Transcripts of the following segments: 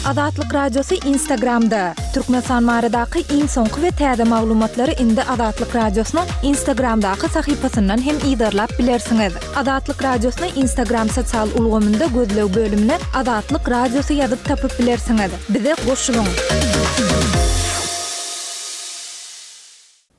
Azatlyk Radiosy Instagramda! Türkmenistan baradaky iň soňky we täze maglumatlary indi Azatlyk Radiosynyň Instagramdaky sahypasyndan hem yzarlap bilersiňiz. Azatlyk Radiosyny Instagram sosial ulgamynda gözleg bölümine Azatlyk Radiosy ýazyp tapyp bilersiňiz. Bize goşulyň!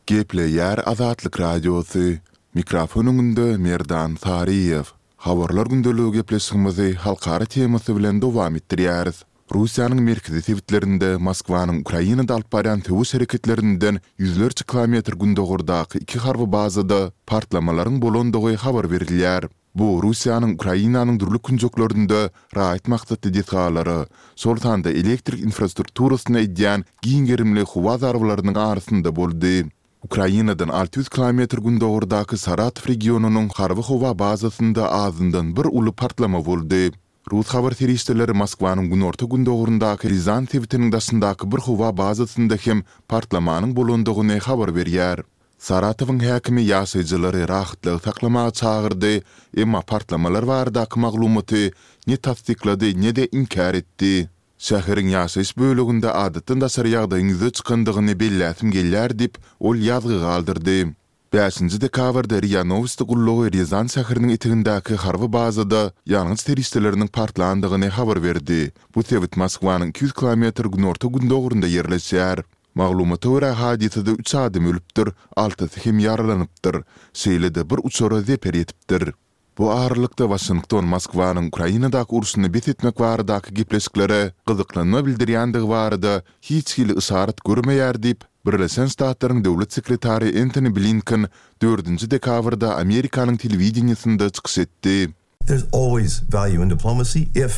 Gepleýär Azatlyk Radiosy, Mikrofon öňünde Merdan Saryýew. Habarlar gündeligi gepleşigimizi halkara temasy bilen dowam etdirýäris. Russiýanyň merkezi sebitlerinde Moskwanyň Ukrainada alyp barýan söweş hereketlerinden ýüzlerçe kilometr gündogardaky iki harby bazada partlamalaryň bolandygy habar berilýär. Bu Russiýanyň Ukrainanyň dürli künjeklerinde raýat maksatly desgalara, şol sanda elektrik infrastrukturasyna edýän giň gerimli howa zarbalarynyň arasynda boldy. Ukrainadan 600 kilometr gündogardaky Saratow regionynyň harby howa bazasynda azyndan bir uly partlama boldy. Rus habar serişdeleri Moskwanyň günorta-gündogaryndaky Rýazan sebitiniň daşyndaky bir howa bazasynda hem partlamanyň bolandygyny habar berýär. Saratowyň häkimi ýaşaýjylary rahatlygy saklamaga çagyrdy, emma partlamalar baradaky maglumaty ne tassyklady, ne-de inkär etdi. Şäheriň ýaşaýyş böleginde adatdan daşary ýagdaýyň ýüze çykandygyny belläsim gelýär diýip, ol ýazgy galdyrdy. Bäşinji dekabrda RIA Nowosti gullugy Rýazan şäheriniň etegindäki harby bazada ýangyç serişdeleriniň partlandygyny habar berdi. Bu sebit Moskwanyň 200 kilometr günorta-gündogarynda ýerleşýär. Maglumata görä, hadysada üç adam ölüpdir, altysy hem ýaralanypdyr. Şeýle-de bir uçara zeper ýetipdir. Bu aralykda, Waşington Moskwanyň Ukrainadaky urşuny bes etmek baradaky gepleşiklere gyzyklanma bildirýändigi barada hiç hili yşarat görmeýär diýip, Birleşen Ştatlaryň döwlet sekretary Entoni Blinken dördünji dekabrda Amerikanyň telewideniýesinde çykyş etdi. There's always value in diplomacy if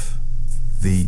the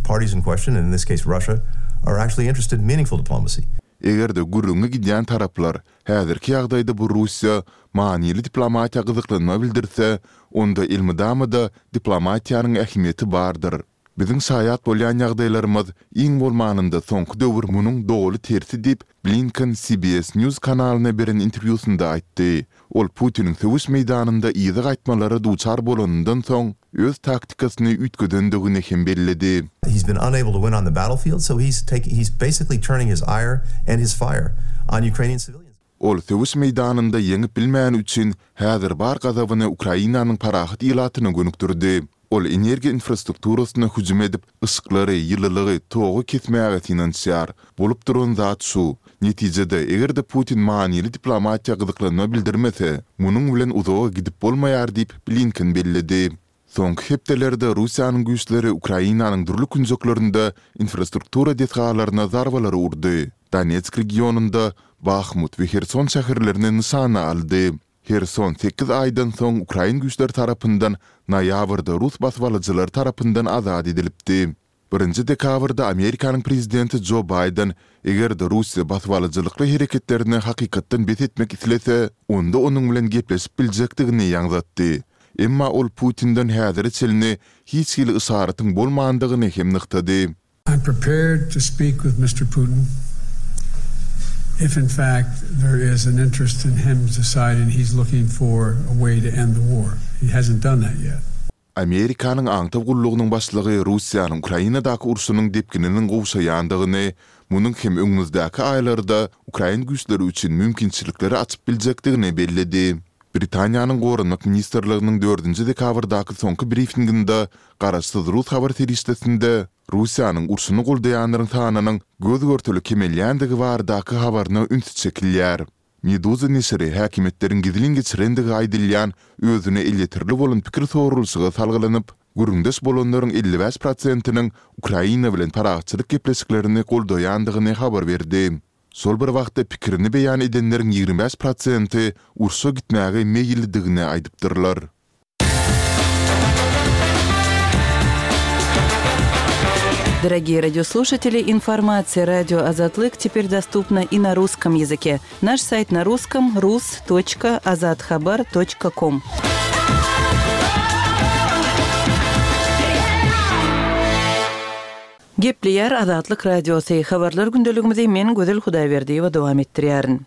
parties in question, and in this case Russia, are actually interested in meaningful diplomacy. Eger-de gürrüňi gidýän taraplar, häzirki ýagdaýda bu Russiýa, manyly diplomatiýa gyzyklanma bildirse, onda elmydama-da diplomatiýanyň ähmiýeti bardyr. Biziň şaýat bolýan ýagdaýlarymyz, iň bolmanynda soňky döwür munuň doly tersi diýip, Blinken CBS News kanalyna beren interwýusynda aýtdy. Ol Putiniň söweş meýdanynda yza gaýtmalara duçar bolanyndan soň, öz taktikasyny üýtgedendigini hem belledi. He's been unable to win on the battlefield, so he's taking, he's basically turning his ire and his fire on Ukrainian civilians. Ol söweş meýdanynda ýeňip bilmäni üçin, häzir bar gazabyny Ukrainanyň parahat ilatyna gönükdirdi. Ol energiýa infrastrukturasyna hüjüm edip, yşyklary, ýylylygy, togy kesmäge synanyşýar. Bolup duran zat şu. Netijede, eger-de Putin manyly diplomatiýa gyzyklanma bildirmese, munuň bilen uzaga gidip bolmaýar diýip, Blinken belledi. Soňky hepdelerde Russiýanyň güýçleri Ukrainanyň dürli künjeklerinde infrastruktura desgalaryna zarbalary urdy. Donetsk regionynda Bahmut we Herson şäherlerini nyşana aldy. Herson sekiz aýdan soň ukrain güýçleri tarapyndan noýabrda rus basybalyjylary tarapyndan azat edilipdi. Birinji dekabrda Amerikanyň prezidenti Jo Baýden, eger-de Russiýa basybalyjylykly hereketlerini hakykatdan bes etmek islese, onda onuň bilen gepleşip biljekdigini ýaňzatdy. Emma ol Putinden häzire çenli hiç hili yşaratyň bolmandygyny hem nygtady. I'm prepared to speak with Mister Putin if in fact there is an interest in him deciding he's looking for a way to end the war. He hasn't done that yet. Amerikanyň aňtaw gullugynyň başlygy Russiýanyň Ukrainadaky urşunyň depgininiň gowşaýandygyny, munuň hem öňümizdäki aýlarda ukrain güýçleri üçin mümkinçilikleri açyp biljekdigini belledi. Britaniýanyň Goranmak ministrliginiň dördünji dekabrdaky soňky brifinginde garaşsyz rus habar serişdesinde Russiýanyň urşuny goldaýanlaryň sanynyň göz-görtele kemelýändigi baradaky habaryna üns çekilýär. Meduza neşiri häkimiýetleriň gizlin geçirendigi aýdylýan özüne elýeterli bolan pikir soralyşyga salgylanyp, gürrüňdeş bolanlaryň 55 prosentiniň Ukraina bilen parahatçylyk gepleşiklerini goldaýandygyny habar berdi. Şol bir wagtda pikirini beýan edenleriň 25 prosenti urşa gitmäge meýillidigini aýdypdyrlar. Дорогие радиослушатели, информация радио Азатлык теперь доступна и на русском языке. Наш сайт на русском rus.azathabar.com. Gepleýär Azatlyk Radiosy, Habarlar gündeligimizi men Gözel Hudaýberdiýewa dowam etdirýärin.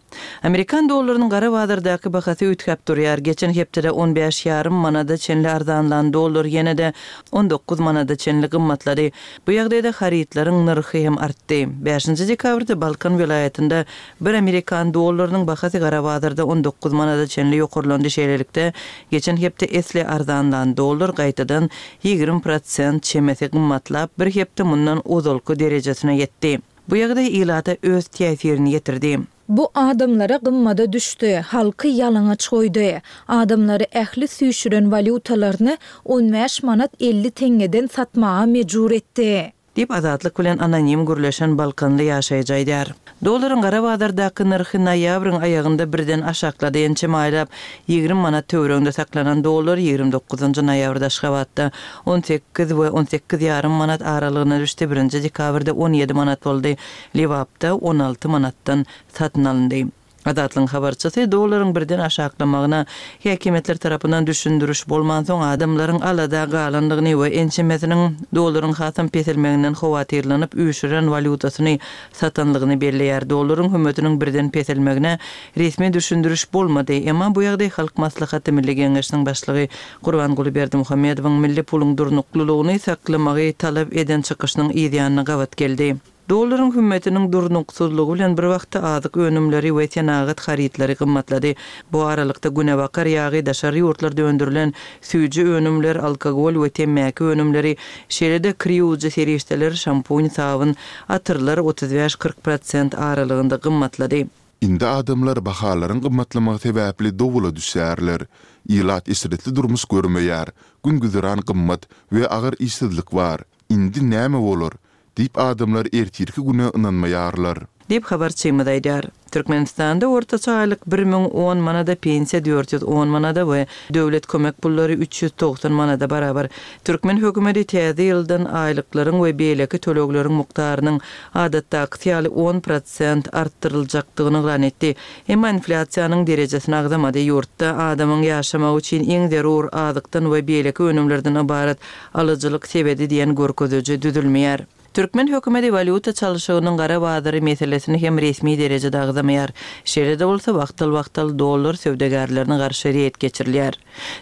Amerikan dollarynyň gara bazardaky bahasy üýtgäp durýar. Geçen hepdede on bäş ýarym manada çenli arzanlan dollar ýene-de 19 manada çenli gymmatlady. Bu ýagdaýda harytlaryň nyrhy hem artdy. Bäşinji dekabrda Balkan welaýatynda bir amerikan dollarynyň bahasy gara bazarda 19 manada çenli ýokarlandy, şeýlelikde, geçen hepde esli arzanlan dollar gaýtadan 20 prosent çemesi gymmatlap, bir hepde mundan ozalky derejesine ýetdi. Bu ýagdaý ilata öz täsirini ýetirdi. Bu adamlara gymmada düşdi, halky ýalaňaç goýdy. Adamlary ähli süýşüren walýutalaryny on bäş manat 50 teňňeden satmaga mejbur etdi. Diýip, Azatlyk bilen anonim gürleşen balkanly ýaşaýjy aýdýar. Dollaryň gara bazardaky nyrhy noýabryň aýagynda birden aşaklady, ençeme aýlap 20 manat töwereginde saklanan dollar 29-njy noýabrda Aşgabatda 18 we 18 ýarym manat aralygyna düşdi, birinji dekabrda 17 manat boldy. Lebapda 16 manatdan satyn alyndy. Azatlygyň habarçysy dollaryň birden aşaklamagyna häkimiýetler tarapyndan düşündiriş bolmansoň, adamlaryň alada galandygyny we ençemesiniň dollaryň hasam peselmeginden howatyrlanyp, üýşüren walýutasyny satanlygyny belleýär. Dollaryň hümmetiniň birden peselmegine resmi düşündiriş bolmady. Emma bu ýagdaý Halk Maslahaty Milli Geňeşiniň başlygy Gurbanguly Berdimuhamedowyň milli puluň durnuklylygyny saklamagy talap eden çykyşynyň yzýanyna gabat geldi. Dollaryň hümmetiniň durnuksyzlygy bilen bir wagtda azyk önümleri we senagat harytlary gymmatlady. Bu aralykda günebakar ýagy, daşary ýurtlarda öndürilen süýji önümler, alkogol we temmäki önümleri, şeýle-de kir ýuwujy serişdeler, şampun, sabyn, atyrlar 35-40 prosent aralygynda gymmatlady. Indi adamlar bahalaryň gymmatlamagy sebäpli dowula düşýärler. Ilat eşretli durmuş görmeýär, gün-güzeran gymmat we agyr işsizlik bar. Indi näme bolar? Diýip adamlar ertirki güne ynanmaýarlar. Diýip, habarçymyz aýdýar. Türkmenistanda ortaça aýlyk 1010 manada, pensiýa 410 manada we döwlet kömek pullary 390 manada barabar. Türkmen hökümeti täze ýyldan aýlyklaryň we beýleki tölegleriň mukdarynyň adatdakysy ýaly on prosent artdyryljakdygyny yglan etdi. Emma inflýasiýanyň derejesini agzamady. Ýurtda adamyň ýaşamagy üçin iň zerur azykdan we beýleki önümlerden ybarat alyjylyk sebedi diýen görkeziji düzülmeýär. Türkmen hökümeti walýuta çalşygynyň gara bazary meselesini hem resmi derejede agzamaýar. Şeýle-de bolsa, wagtal-wagtal dollar söwdagärlerine garşy reýd geçirilýär.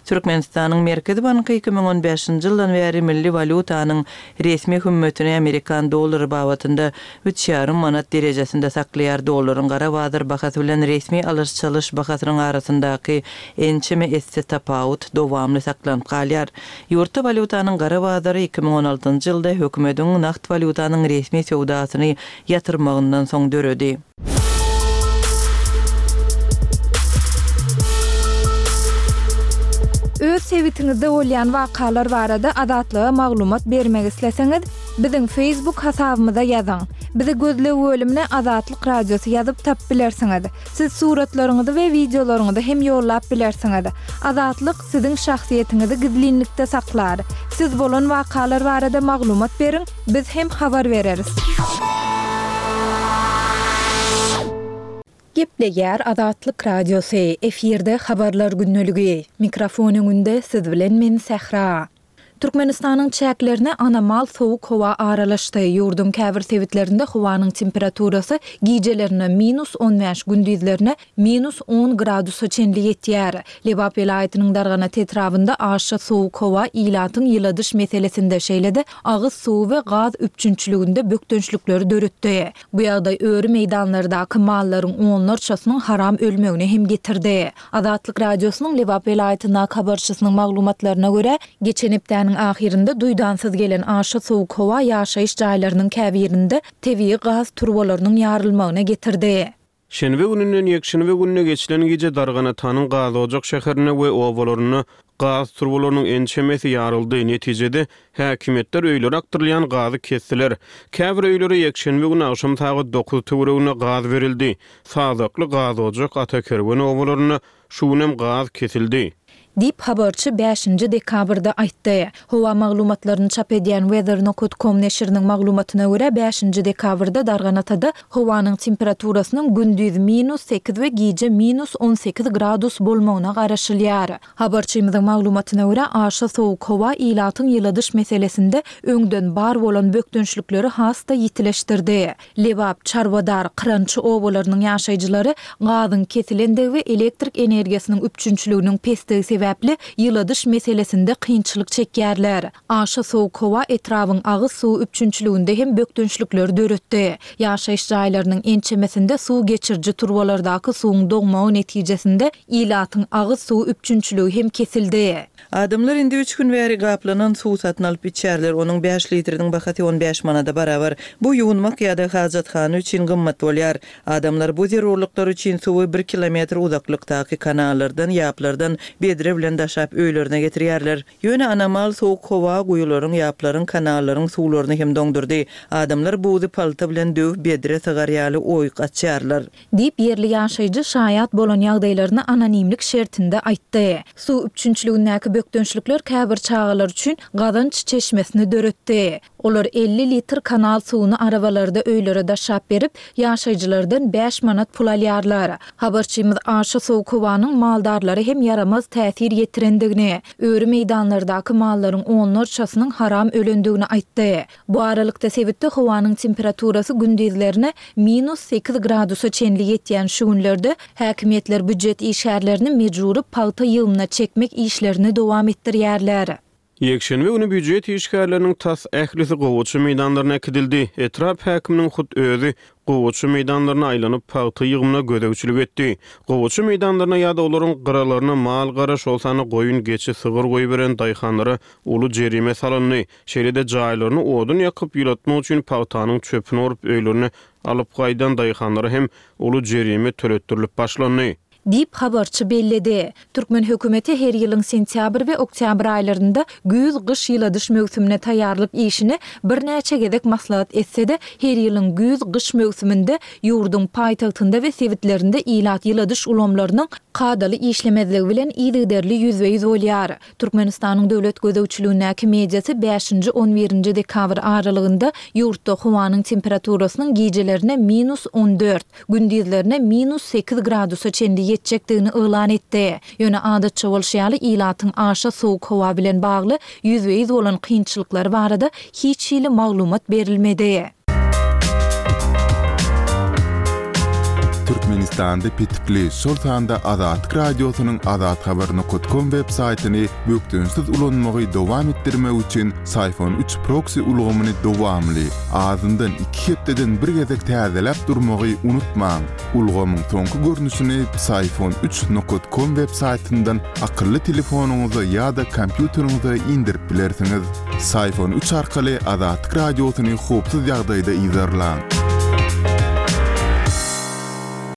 Türkmenistanyň Merkezi banky 2015-nji ýyldan bäri milli walýutanyň resmi hümmetini amerikan dollary babatynda üç ýarym manat derejesinde saklaýar, dollaryň gara bazar bahasy bilen resmi alyş-çalyş bahasynyň arasyndaky ençeme esse tapawut dowamly saklanyp galýar. Ýurtda walýutanyň gara bazary 2016-njy ýylda hökümediň nagt walýutanyň resmi söwdasyny ýatyrmagyndan soň döredi. Öz sebitiňizde bolýan wakalar barada Azatlyga maglumat bermek isleseňiz, biziň Facebook hasabymyza ýazyň. Bizi gözleg bölümine Azatlyk Radiosy ýazyp tapyp bilersiňiz. Siz suratlaryňyzy we wideolaryňyzy hem ýollap bilersiňiz. Azatlyk siziň şahsyýetiňizi gizlinlikde saklar. Siz bolan wakalar barada maglumat beriň, biz hem habar bereris. Gepleýär Azatlyk Radiosy, efirde Habarlar gündeligi. Mikrofon öňünde siz bilen men Sähra. Türkmenistanyň çäklerine anomal sowuk howa aralaşdy. Ýurduň käbir sebitlerinde howanyň temperaturasy gijelerine minus 15, gündizlerine minus on gradusa çenli ýetýär. Lebap welaýatynyň Darganat etrabynda aşa sowuk howa ilatyň ýyladyş meselesinde, şeýle-de agyz suwy we gaz üpjünçiliginde bökdençlikleri döretdi. Bu ýagdaý öri meýdanlardaky mallaryň onlarçasynyň haram ölmegine hem getirdi. Azatlyk Radiosynyň Lebap welaýatyndaky habarçysynyň maglumatlaryna görä, geçen hepdäniň ahyrynda duýdansyz gelen aşa sowuk howa ýaşaýyş jaýlarynyň käbirinde tebigy gaz turbalarynyň ýarylmagyna getirdi. Şenbe gününden ýekşenbe gününe geçilen gije Darganatanyň Gazojak şäherinde we obalarynda gaz turbalarynyň ençemesi ýaryldy. Netijede, häkimiýetler öýlere akdyrylýan gazy kesdiler. Käbir öýlere ýekşenbe güni agşam sagat dokuz töwereginde gaz berildi. Sazakly, Gazojak, Atakerwen obalarynda şu günem gaz kesildi. Diýip, habarçy bäşinji dekabrda aýtdy. Howa maglumatlaryny çap edýän Weather nokat com neşiriniň maglumatyna görä, bäşinji dekabrda Darganatada howanyň temperaturasynyň gündiz minus sekiz we gije minus 18 gradus bolmagyna garaşylýar. Habarçymyzyň maglumatyna görä, aşa sowuk howa ilatyň ýyladyş meselesinde öňden bar bolan bökdençlikleri has-da ýitileşdirdi. Lebap, Çarwadar, Kyrançy obalarynyň ýaşaýjylary gazyň kesilendigi we elektrik energiýasynyň üpjünçiliginiň pesdigi sebäpli ýyladyş meselesinde kynçylyk çekýärler. Aşa sowuk howa etrabyň agyz suwy üpjünçiliginde hem bökdençlikleri döretdi. Ýaşaýyş jaýlarynyň ençemesinde suw geçiriji turbalardaky suwuň doňmagy netijesinde ilatyň agyz suwy üpjünçiligi hem kesildi. Adamlar indi üç gün bäri gaplanan suw satyn alyp içýärler, onuň bäş litriniň bahasy on bäş manada barabar. Bu ýuwunmak ýa-da hajathana üçin gymmat bolýar. Adamlar bu zerurlyklar üçin suwy bir kilometr uzaklykdaky kanallardan, ýaplardan bedre bilen daşap öýlerine getirýärler. Ýöne anomal sowuk howa guýularyň, ýaplaryň, kanallaryň suwlaryny hem doňdurdy. Adamlar buzy palta bilen döwüp bedre sygar ýaly oýuk açýarlar. Diýip, ýerli ýaşaýjy şaýat bolan ýagdaýlaryny anonimlik şertinde aýtdy. Suw üpjünçiligindäki bökdençlikler käbir çagalar üçin gazanç çeşmesini döretdi. Olar 50 litr kanal suwuny arabalarda öýlere daşap berip, ýaşaýjylardan bäş manat pul alýarlar. Habarçymyz aşa sowuk howanyň maldarlara hem ýaramaz täsir ýetirendigini, öri meýdanlardaky mallaryň onlarçasynyň haram ölendigini aýtdy. Bu aralykda, sebitde howanyň temperaturasy gündizlerine minus sekiz gradusa çenli ýetýän şu günlerde häkimiýetler býujet işgärlerini mejbury pagta ýygymyna çekmek işlerini dowam etdirýärler. Ýekşenbe güni býujet işgärleriniň tas ählisi gowaça meýdanlaryna äkidildi. Etrap häkiminiň hut özi gowaça meýdanlaryna aýlanyp, pagta ýygymyna gözegçilik etdi. Gowaça meýdanlaryna ýa-da olaryň gyralaryna mal-gara, şol sanda goýun, geçi, sygyr goýberen daýhanlara uly jerime salyndy. Şeýle-de jaýlaryny odun ýakyp ýylatmak üçin pagtanyň çöpüni orup öýlerine alyp gaýdan daýhanlara hem uly jerime töletdirilip başlandy. Diýip, habarçy belledi. Türkmen hökümeti her ýylyň sentýabr we oktýabr aýlarynda güýz-gyş ýyladyş möwsümine taýýarlyk işini birnäçe gezek maslahat etse-de, her ýylyň güýz-gyş möwsüminde ýurduň paýtagtynda we sebitlerinde ilat ýyladyş ulgamlarynyň kadaly işlemezligi bilen yzygiderli ýüzbe-ýüz bolýar. Türkmenistanyň döwlet gözegçiligindäki mediasy bäşinji, on birinji dekabr aralygynda ýurtda howanyň temperaturasynyň gijelerine minus on dört, gündizlerine minus sekiz gradusa çenli ýetjekdigini yglan etdi. Ýöne adatça bolşy ýaly ilatyň aşa sowuk howa bilen bagly ýüzbe-ýüz bolan kynçylyklary barada hiç hili maglumat berilmedi. Türkmenistanda petikli, şol sanda Azatlyk Radiosynyň azathabar nokat kom web saýtyny bökdençsiz ulanmagy dowam etdirmek üçin Syfon üç proksi ulgamyny dowamly, azyndan iki hepdeden bir gezek täzeläp durmagy unutmaň. Ulgamyň soňky görnüşini Psiphon üç nokat kom web saýtyndan akylly telefonyňyza ýa-da kompýuteriňize indirip bilersiňiz. Psiphon üç arkaly Azatlyk Radiosyny howpsuz ýagdaýda yzarlaň.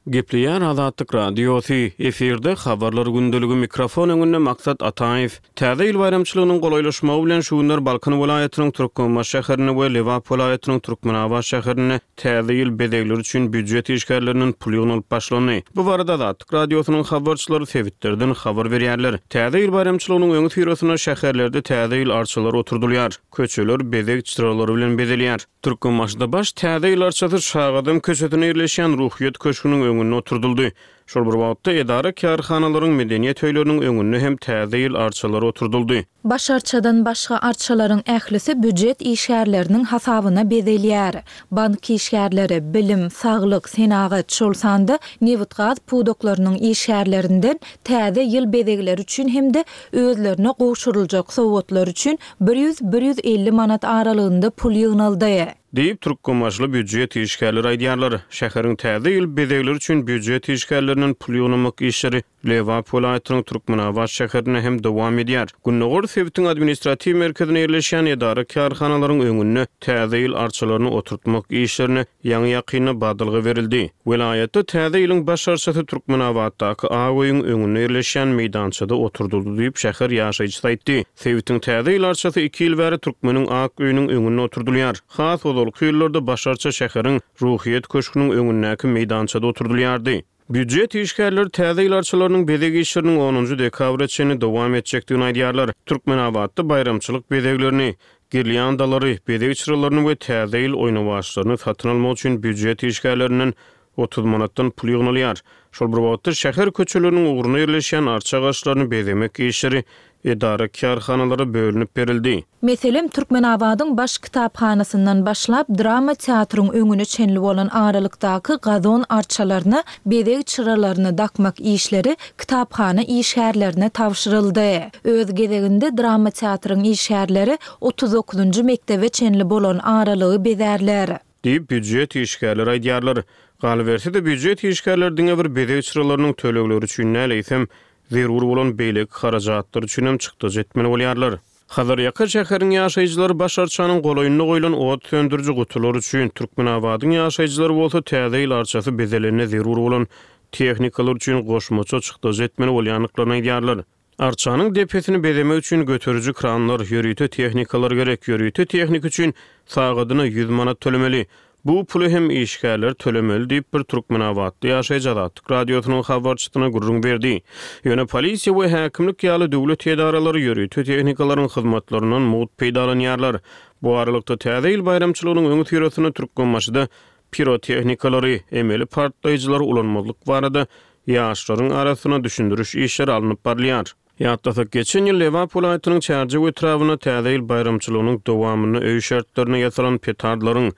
Gepleýär Azatlyk Radiosy, efirde Habarlar gündeligi mikrofon öňünde Maksat Ataýew. Täze ýyl baýramçylygynyň golaýlaşmagy bilen şu günler Balkan welaýatynyň Türkmenbaşy şäherinde we Lebap welaýatynyň Türkmenabat şäherinde Täze ýyl bezegleri üçin býujet işgärlerinden pul ýygnalyp başlandy. Bu barada Azatlyk Radiosynyň habarçylary sebitlerden habar berýärler. Täze ýyl baýramçylygynyň öňüsyrasynda şäherlerde Täze ýyl arçalary oturdylýar, köçeler bezeg çyralary bilen bezelýär. Türkmenbaşyda baş Täze ýyl arçasy Şagadam köçesinde ýerleşýän Ruhyýet köşgüniň öňünde oturdyldy. Şol bir wagtda, edara-kärhanalaryň, medeniýet öýleriniň öňünde hem Täze ýyl arçalary oturdyldy. Baş arçadan başga arçalaryň ählisi býujet işgärleriniň hasabyna bezelýär. Bank işgärleri, bilim, saglyk, senagat, şol sanda nebitgaz pudaklarynyň işgärlerinden Täze ýyl bezegleri üçin hem-de özlerine gowşuryljak sowgatlar üçin bir ýüz, bir 150 manat aralygynda pul ýygnaldy. Diýip, türkmenbaşyly býujet işgärleri aýdýarlar. Şäheriň Täze ýyl bezegleri üçin býujet işgärlerinden pul ýygnamak işleri Lebap welaýatynyň Türkmenabat şäherinde hem dowam edýär. Gündogar sebitiň administratiw merkezinde ýerleşýän edara-kärhanalaryň öňünde Täze ýyl arçalaryny oturtmak işlerine ýaňy-ýakynda badalga berildi. Welaýatda Täze ýylyň baş arçasy Türkmenabatdaky Ak öýüň öňünde ýerleşýän meýdançada oturdyldy diýip, şäher ýaşaýjysy aýtdy. Sebitiň Täze ýyl arçasy iki ýyl bäri Türkmeniň ak öýüniň öňünde oturdylýar. Has ozalky ýyllarda baş arça şäheriň Ruhyýet köşgüniň öňündäki meýdançada oturdylýardy. Býujet işgärleri täze ýyl arçalarynyň bezeg işleriniň onunjy dekabra çenli dowam etjekdigini aýdýarlar. Türkmenabatda baýramçylyk bezeglerini, girlýandalary, bezeg çyralaryny we täze ýyl oýnawaçlaryny satyn almak üçin býujet işgärlerinden 30 manatdan pul ýygnalýar. Şol bir wagtda, şäher köçeleriniň ugrunda ýerleşýän arça agaçlaryny bezemek işleri edara-kärhanalara bölünip berildi. Meselem, Türkmenabadyň baş kitaphanasyndan başlap, drama teatryň öňüne çenli bolan aralykdaky gazon arçalaryna bezeg çyralaryny dakmak işleri kitaphana işgärlerine tabşyryldy. Öz gezeginde drama teatryň işgärleri 39-njy mekdebe çenli bolan aralygy bezärler. Diýip, býujet işgärleri aýdýarlar. Galyberse-de, býujet işgärleri diňe bir bezeg çyralarynyň tölegleri üçin däl, eýsem, zerur bolan beýleki harajatlar üçin hem çykdajy etmeli bolýarlar. Hazarýaka şäheriň ýaşaýjylary baş arçanyň golaýynda goýlan ot söndüriji gutular üçin, Türkmenabadyň ýaşaýjylary bolsa Täze ýyl arçasy bezelende zerur bolan tehnikalar üçin goşmaça çykdajy etmeli bolýandyklaryny aýdýarlar. Arçanyň depesini bezemek üçin göteriji kranlar, ýörite tehnikalar gerek. Ýörite tehnika üçin sagadyna 100 manat tölemeli. Bu puly hem işgärler tölemeli diýip, bir türkmenabatly ýaşaýjy Azatlyk Radiosynyň habarçysyna gürrüň berdi. Ýöne polisiýa we häkimlik ýaly döwlet edaralary ýörite tehnikalaryň hyzmatlaryndan mugt peýdalanýarlar. Bu aralykda, Täze ýyl baýramçylygynyň öňüsyrasynda Türkmenbaşyda pirotehnikalary, emeli partlaýjylary ulanmazlyk barada ýaşlaryň arasynda düşündiriş işleri alnyp barylýar. Ýatlasak, geçen ýyl Lebap welaýatynyň Çärjew etrabynda Täze ýyl baýramçylygynyň dowamynda öý şertlerinde ýasalan petardlaryň,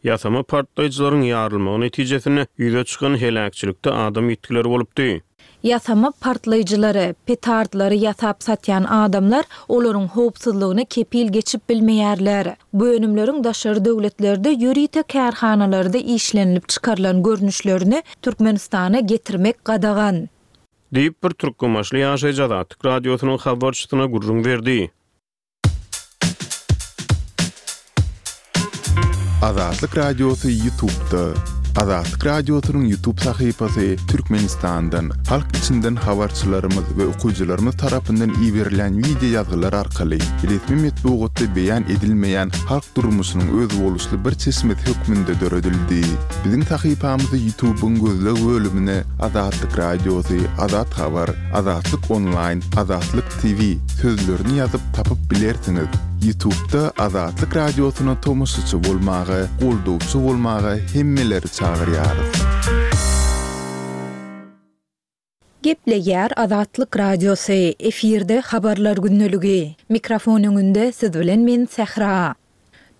ýasama partlaýjylaryň ýarylmagy netijesinde ýüze çykan heläkçilikde adam ýitgileri bolupdy. Ýasama partlaýjylary, petardlary ýasap satýan adamlar olaryň howpsuzlygyna kepil geçip bilmeýärler. Bu önümleriň daşary döwletlerde ýörite kärhanalarda işlenilip çykarylan görnüşlerini Türkmenistana getirmek gadagan. Diýip, bir türkmenbaşyly ýaşaýjy Azatlyk Radiosynyň habarçysyna gürrüň berdi. Azatlyk Radiosy Ýutubda. Azatlyk Radiosynyň Ýutub sahypasy Türkmenistandan, halk içinden habarçylarymyz we okyjylarymyz tarapyndan iberilýän wideo ýazgylar arkaly resmi metbugatda beýan edilmeýän halk durmuşynyň özboluşly bir çeşmesi hökmünde döredildi. Biziň sahypamyzy Ýutubyň gözleg bölümine Azatlyk Radiosy, Azat Habar, Azatlyk Onlaýn, Azatlyk TV sözlerini ýazyp tapyp bilersiňiz. Ýutubda Azatlyk Radiosyna tomaşaçy bolmaga, goldawçy bolmaga hemmeleri çagyrýarys. Gepleýär Azatlyk Radiosy, efirde Habarlar gündeligi. Mikrofon öňünde siz bilen men Sähra.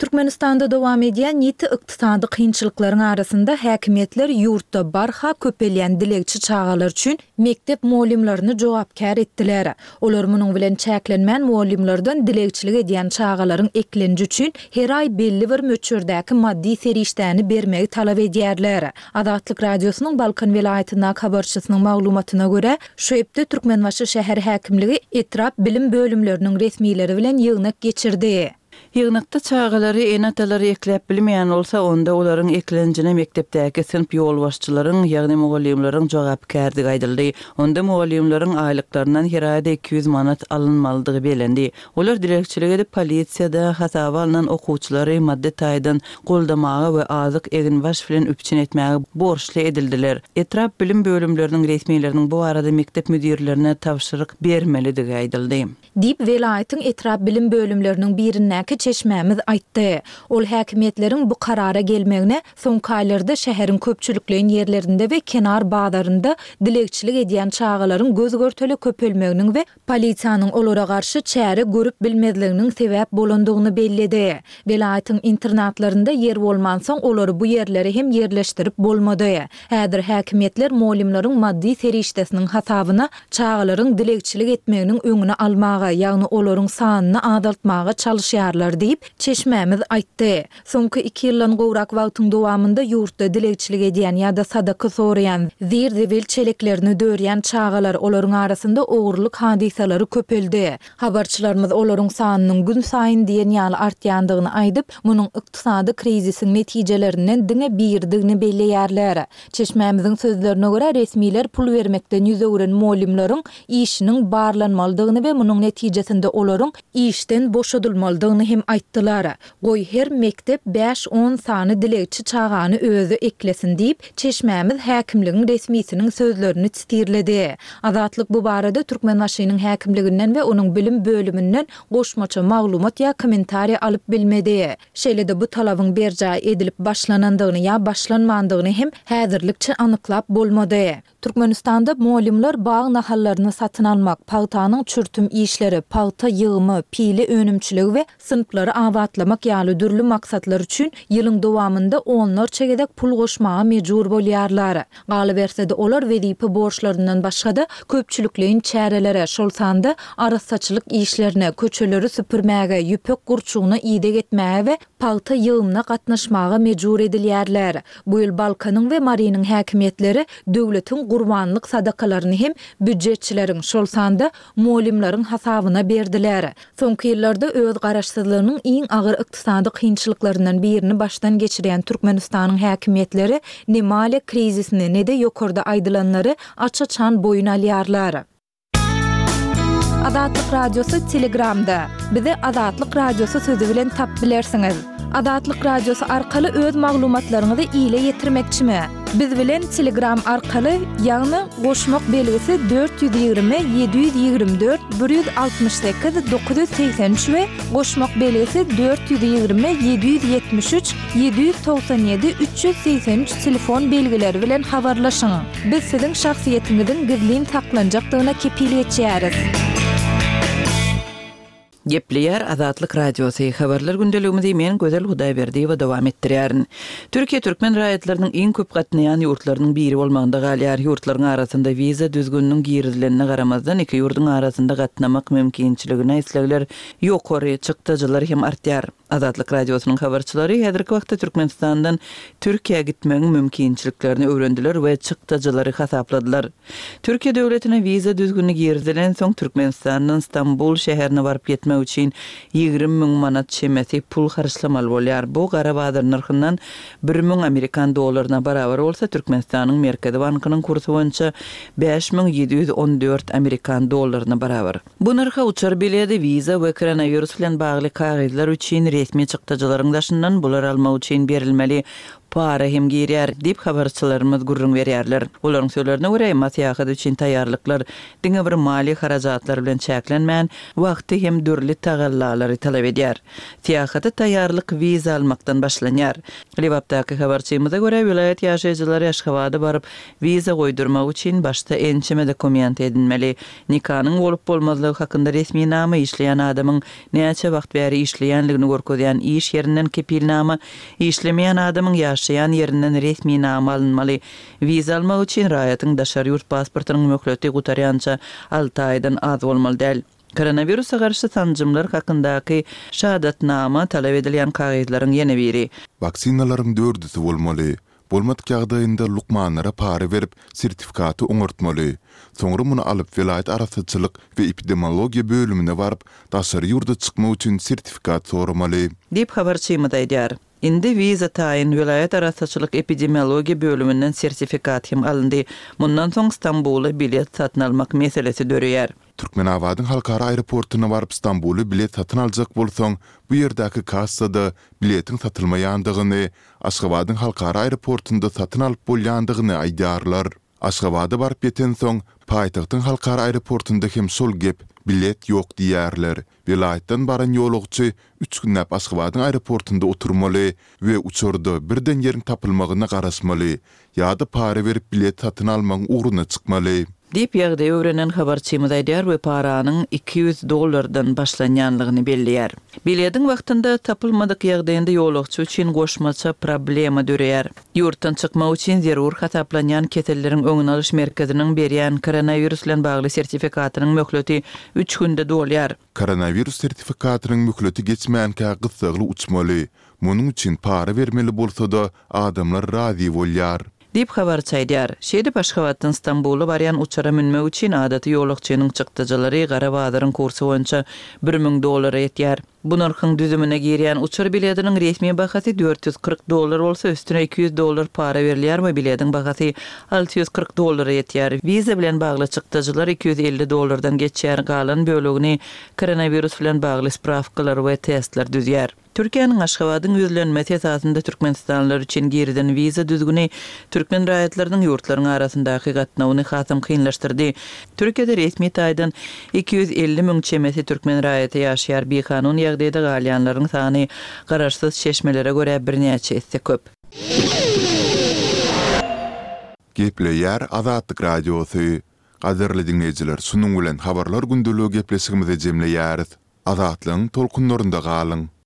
Türkmenistanda dowam edýän ýiti ykdysady kynçylyklaryň arasynda häkimiýetler ýurtda barha köpelýän dilegçi çagalar üçin mekdep mugallymlaryny jogapkär etdiler. Olar munuň bilen çäklenmän mugallymlardan dilegçilik edýän çagalaryň eklenji üçin her aý belli bir möçberdäki maddy serişdäni bermegi talap edýärler. Azatlyk Radiosynyň Balkan welaýatyndaky habarçysynyň maglumatyna görä, şu hepde Türkmenbaşy şäher häkimligi etrap bilim bölümleriniň resmileri bilen ýygnak geçirdi. Ýygnakda çagalary ene-atalary ekläp bilmeýän bolsa, onda olaryň eklenjine mekdepdäki synp ýolbaşçylaryň, ýagny mugallymlaryň jogapkärdigi aýdyldy. Onda mugallymlaryň aýlyklaryndan her aýda 200 manat alynmalydygy bellendi. Olar dilegçilik edip, polisiýada hasaba alnan okuwçylary maddy taýdan goldamaga we azyk, eginbaş bilen üpjün etmäge borçly edildiler. Etrap bilim bölümleriniň resmileriniň bu barada mekdep müdirlerine tabşyryk bermelidigi aýdyldy. Diýip, welaýatyň etrap bilim bölümleriniň birindäki çeşmämiz aýtdy. Ol häkimiýetleriň bu karara gelmegine soňky aýlarda şäheriň köpçülikleýin ýerlerinde we kenar bazarynda dilegçilik edýän çagalaryň göz-görtele köpelmeginiň we polisiýanyň olara garşy çäre görüp bilmezliginiň sebäp bolandygyny belledi. Welaýatyň internatlarynda ýer bolmansoň, olary bu ýerlere hem ýerleşdirip bolmady. Häzir häkimiýetler mugallymlaryň maddy serişdesiniň hasabyna çagalaryň dilegçilik etmeginiň öňüni almaga, ýagny olaryň sanyny azaltmaga çalyşýarlar diýip, çeşmämiz aýtdy. Soňky iki ýyldan gowrak wagtyň dowamynda ýurtda dilegçilik edýän ýa-da sadaka soraýan, zir-zibil çeleklerini dörýän çagalar, olaryň arasynda ogurlyk hadysalary köpeldi. Habarçylarymyz olaryň sanynyň günsaýyn diýen ýaly artýandygyny aýdyp, munuň ykdysady krizisiň netijelerinden diňe biridigini belleýärler. Çeşmämiziň sözlerine görä, resmiler pul bermekden ýüz öwren mugallymlaryň işiniň barlanmalydygyny we munuň netijesinde olaryň işden boşadylmalydygyny hem. hem aýtdylar. Goý, her mekdep bäş-on sany dilegçi çagany özi eklesin diýip, çeşmämiz häkimligiň resmisiniň sözlerini sitirledi. Azatlyk bu barada Türkmenbaşynyň häkimliginden we onuň bilim bölüminden goşmaça maglumat ýa kommentariý alyp bilmedi. Şeýle-de bu talabyň berjaý edilip başlanandygyny ýa başlanmandygyny hem häzirlikçe anyklap bolmady. Türkmenistanda mugallymlar bag nahallaryny satyn almak, pagtanyň çürtüm işleri, pagta ýygymy, pile önümçiligi we synplary abatlamak ýaly dürli maksatlar üçin ýylyň dowamynda onlarça gezek pul goşmaga mejbur bolýarlar. Galyberse-de, olar wezipe borçlaryndan başga-da, köpçülikleýin çärelere, şol sanda arassaçylyk işlerine, köçeleri süpürmäge, ýüpek gurçugyna ideg etmäge we pagta ýygymyna gatnaşmaga mejbur edilýärler. Bu ýyl Balkanyň we Marynyň häkimiýetleri döwletiň gurbanlyk sadakalaryny hem býujetçileriň, şol sanda mugallymlaryň hasabyna berdiler. Soňky ýyllarda öz garaşsyzlygynyň iň agyr ykdysady kynçylyklaryndan birini başdan geçirýän Türkmenistanyň häkimiýetleri ne maliýe krizisini, ne-de ýokarda aýdylanlary aç-açan boýun alýarlar. Azatlyk Radiosy Telegramda. Bizi Azatlyk Radiosy sözi bilen tap bilersiňiz. Azatlyk Radiosy arkaly öz maglumatlaryňyzy ile ýetirmekçimi? Biz bilen Telegram arkaly, ýagny goşmak belgisi 420 724 168 983 we goşmak belgisi 420 773 797 383 telefon belgileri bilen habarlaşyň. Biz siziň şahsyýetiňiziň gizlin saklanjakdygyna kepil geçýäris. Gepleýär Azatlyk Radiosy, Habarlar gündeligimizi men Gözel Hudaýberdiýewa dowam etdirýärin. Türkiýe türkmen raýatlarynyň iň köp gatnaýan ýurtlarynyň biri bolmagynda galýar. Ýurtlaryň arasynda wiza düzgüniniň girizilenine garamazdan, iki ýurduň arasynda gatnamak mümkinçiligine islegler ýokary, çykdajylar hem artýar. Azatlyk Radiosynyň habarçylary häzirki wagtda Türkmenistandan Türkiýä gitmegiň mümkinçiliklerini öwrendiler we çykdajylary hasapladylar. Türkiýe döwletine wiza düzgüni girizilensoň, Türkmenistandan Stambul şäherine baryp ýetmek üçin 20 müň manat çemesi pul harçlamaly bolýar. Bu gara bazar nyrhyndan 1000 amerikan dollaryna barabar bolsa, Türkmenistanyň Merkezi bankynyň kursy boýunça 5714 amerikan dollaryna barabar. Bu nyrha uçar biledi, wiza we koronawirus bilen bagly kagyzlar üçin resmi çykdajylaryň daşyndan bulary almak üçin berilmeli para hem girýär, diýip, habarçylarymyz gürrüň berýärler. Olaryň sözlerine görä, emma syýahat üçin taýýarlyklar diňe bir maliýe harajatlary bilen çäklenmän, wagty hem dürli tagallalary talap edýär. Syýahata taýýarlyk wiza almakdan başlanýar. Lebapdaky habarçymyza görä, welaýat ýaşaýjylary Aşgabada baryp, wiza goýdurmak üçin başda ençeme dokument edinmeli. Nikanyň bolup-bolmazlygy hakynda resminama, işleýän adamyň näçe wagt bäri işleýänligini görkezýän iş ýerinden kepilnama, işlemeýän adamyň ýaşaýan ýerinden resminama alynmaly. Wiza almak üçin raýatyň daşary ýurt pasportynyň möhleti gutarýança alty aýdan az bolmaly däl. Koronawirusa garşy sanjymlar hakyndaky şahadatnama talap edilýän kagyzlaryň ýene biri. Waksinalaryň dördüsi bolmaly. Bolmadyk ýagdaýynda lukmanlara para berip, sertifikaty oňartmaly. Soňra muny alyp, welaýat arassaçylyk we epidemiologiýa bölümine baryp, daşary ýurda çykmak üçin sertifikat soramaly. Diýip, habarçymyz aýdýar. Indi wiza taýyn, welaýat arassaçylyk epidemiologiýa bölüminden sertifikat hem alyndy. Mundan soň Stambula bilet satyn almak meselesi döreýär. Türkmenabadyň halkara aeroportuna baryp Stambula bilet satyn aljak bolsaň, bu ýerdäki kassada biletiň satylmaýandygyny, Aşgabadyň halkara aeroportunda satyn alyp bolýandygyny aýdýarlar. Aşgabada baryp ýetensoň, paýtagtyň halkara aeroportunda hem şol gep, bilet ýok diýýärler. Welaýatdan baran ýolagçy üç günläp Aşgabadyň aeroportunda oturmaly we uçarda birden ýeriň tapylmagyna garaşmaly ýa-da para berip bilet satyn almagyň ugruna çykmaly. Diýip, ýagdaýy öwrenen habarçymyz aýdýar we paranyň 200 dollardan başlanýanlygyny belleýär. Bilediň wagtynda tapylmadyk ýagdaýynda ýolagçy üçin goşmaça problema döreýär. Ýurtdan çykmak üçin zerur hasaplanýan keselleriň öňüni alyş merkeziniň berýän koronawirus bilen bagly sertifikatynyň möhleti üç günde dolýar. Koronawirus sertifikatynyň möhleti geçmänkä gyssagly uçmaly. Munuň üçin para bermeli bolsa-da, adamlar razy bolýar. Diýip, habarçy aýdýar. Şeýdip, Aşgabatdan Stambula barýan uçara münmek üçin adaty ýolagçynyň çykdajylary gara bazaryň kursy boýunça 1000 dollara ýetýär. Bu nyrhyň düzümine girýän uçar biletiniň resmi bahasy 440 dollar bolsa, üstüne 200 dollar para berilýär we biletiň bahasy 640 dollara ýetýär. Wiza bilen bagly çykdajylar 250 dollardan geçýär, galan bölegini koronawirus bilen bagly sprawkalar we testler düzýär. Türkiýäniň Aşgabadyň ýüzlenmesi esasynda türkmenistanlylar üçin girizen wiza düzgüni türkmen raýatlarynyň ýurtlaryň arasyndaky gatnawyny hasam kynlaşdyrdy. Türkiýede resmi taýdan 250 müň çemesi türkmen raýaty ýaşaýar, bikanun ýagdaýda galýanlaryň sany garaşsyz çeşmelere görä birnäçe esse köp. Gepleýär Azatlyk Radiosy. Gadyrly diňleýjiler şunuň bilen Habarlar gündeligi gepleşigimizi jemleýäris. Azatlygyň tolkunlarynda galyň!